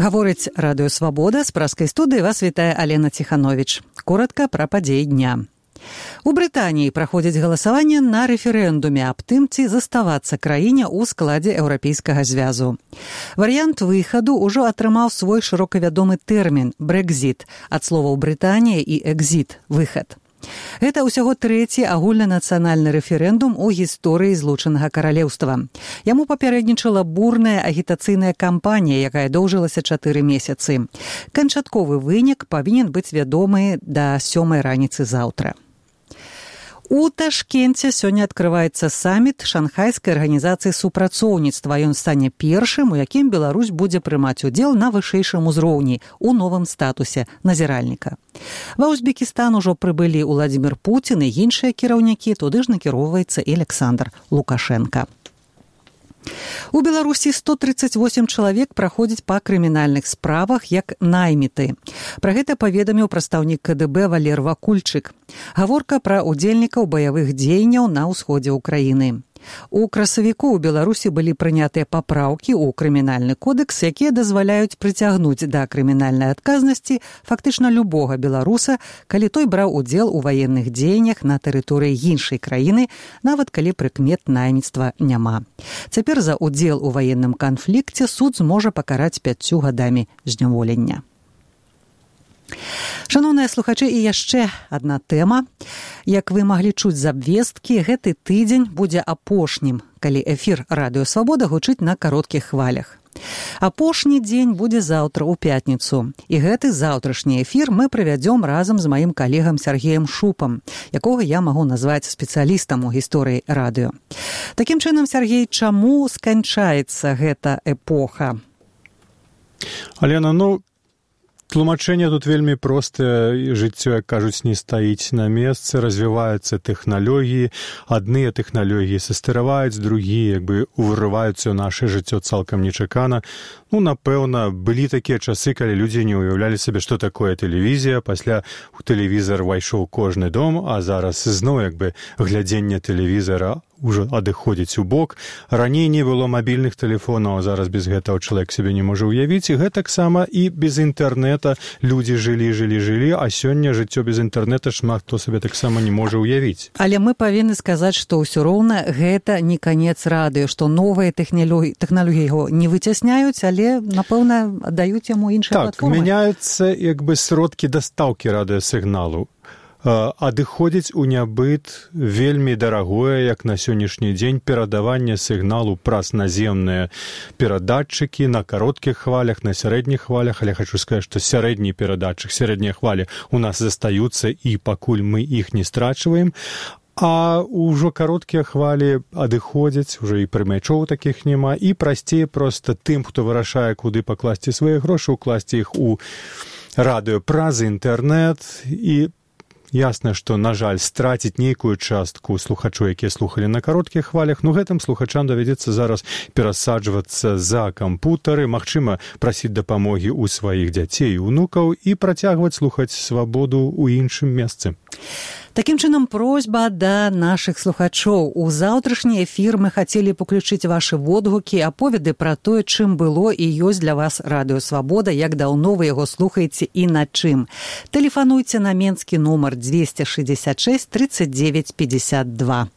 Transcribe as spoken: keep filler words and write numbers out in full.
Гаворыць Радыё Свабода, з праскай студыі вас вітае Алена Ціхановіч. Коротка пра падзеі дня. У Брытаніі праходзіць галасаванне на рэферэндуме аб тым, ці заставацца краіне ў складзе Еўрапейскага звязу. Варыянт выхаду ўжо атрымаў свой шырока вядомы тэрмін «Брэкзіт» ад словаў «Брытанія» і «экзіт» – «выхад». Гэта ўсяго трэці агульнанацыянальны рэферэндум у гісторыі Злучанага Каралеўства. Яму папярэднічала бурная агітацыйная кампанія, якая доўжылася чатыры месяцы. Канчатковы вынік павінен быць вядомы да сёмай раніцы заўтра. У Ташкенце сёння адкрываецца саміт Шанхайскай арганізацыі супрацоўніцтва. Ён стане першым, у якім Беларусь будзе прымаць удзел на вышэйшым узроўні у новым статусе назіральніка. Ва Узбекістан ужо прыбылі Уладзімір Пуцін і іншыя кіраўнікі, туды ж накіроўваецца і Александр Лукашенка. У Беларусі сто тридцать восемь чалавек праходзяць па крымінальных справах як найміты. Пра гэта паведаміў прадстаўнік ка дэ бэ Валер Вакульчык. Гаворка пра удзельнікаў баявых дзеянняў на ўсходзе ўкраіны. У красавіку ў Беларусі былі прынятыя папраўкі ў крымінальны кодэкс, якія дазваляюць прыцягнуць да крымінальнай адказнасці фактычна любога беларуса, калі той браў удзел у ваенных дзеяннях на тэрыторыі іншай краіны, нават калі прыкмет найміцтва няма. Цяпер за удзел у ваенным канфлікце суд зможа пакараць пяццю гадамі зняволення. Шаноўныя слухачы, і яшчэ адна тэма. Як вы маглі чуць з абвесткі, гэты тыдзень будзе апошнім, калі эфір Радыё Свабода гучыць на кароткіх хвалях. Апошні дзень будзе заўтра ў пятніцу. І гэты заўтрашні эфір мы правядзём разам з маім калегам Сергеем Шупам, якога я магу назваць спецыялістам у гісторыі радыё. Такім чынам, Сергей, чаму сканчаецца гэта эпоха? Алена, ну, тлумачэнне тут вельмі простае. Жыццё, як кажуць, не стаіць на месцы, развіваюцца тэхналогіі, адныя тэхналогіі састараваюць, другія як бы уварываюцца ў наша жыццё цалкам нечакана. Ну, напэўна, былі такія часы, калі людзі не ўяўлялі сабе, што такое тэлевізія, пасля у тэлевізар увайшоў кожны дом, а зараз зноў як бы глядзенне тэлевізара ўжо адыходзіць у бок. Раней не было мабільных тэлефонаў, а зараз без гэтага чалавек сябе не можа ўявіць. І гэтаксама і без інтэрнэта людзі жылі, жылі, жылі, а сёння жыццё без інтэрнэта шмат хто сабе таксама не можа ўявіць. Але мы павінны сказаць, што ўсё роўна гэта не канец радыё, што новыя тэхналогіі, тэхналогіі яго не выцясняюць, але, напэўна, даюць яму іншыя так, платформы. Так, мяняюцца як бы сродкі дастаўкі радыёсігналу. Адыходзіць у нябыт вельмі дарагое, як на сённяшні дзень, перадаванне сігналу праз наземныя перадатчыкі на кароткіх хвалях, на сярэдніх хвалях, але хочу сказаць, што сярэдні перадатчык, сярэднія хвалі у нас застаюцца, і пакуль мы іх не страчваем, а ўжо кароткія хвалі адыходзяць, ужо і прымячоў такіх няма, і прасцей проста тым, хто вырашае, куды пакласці свае грошы, укласці іх у радыё праз інтэрнэт. І ясна, што, на жаль, страціць нейкую частку слухачоў, якія слухалі на кароткіх хвалях, ну гэтым слухачам давядзецца зараз перасаджвацца за кампутары, магчыма, прасіць дапамогі ў сваіх дзяцей і ўнукаў і працягваць слухаць свабоду ў іншым месцы. Такім чынам, просьба да нашых слухачоў. У заўтрашні эфір мы хацелі паключыць вашы водгукі, аповеды пра тое, чым было і ёсць для вас Радыё Свабода, як даўно вы яго слухаеце і на чым. Тэлефануйце на менскі нумар двести шестьдесят шесть тридцать девять пятьдесят два.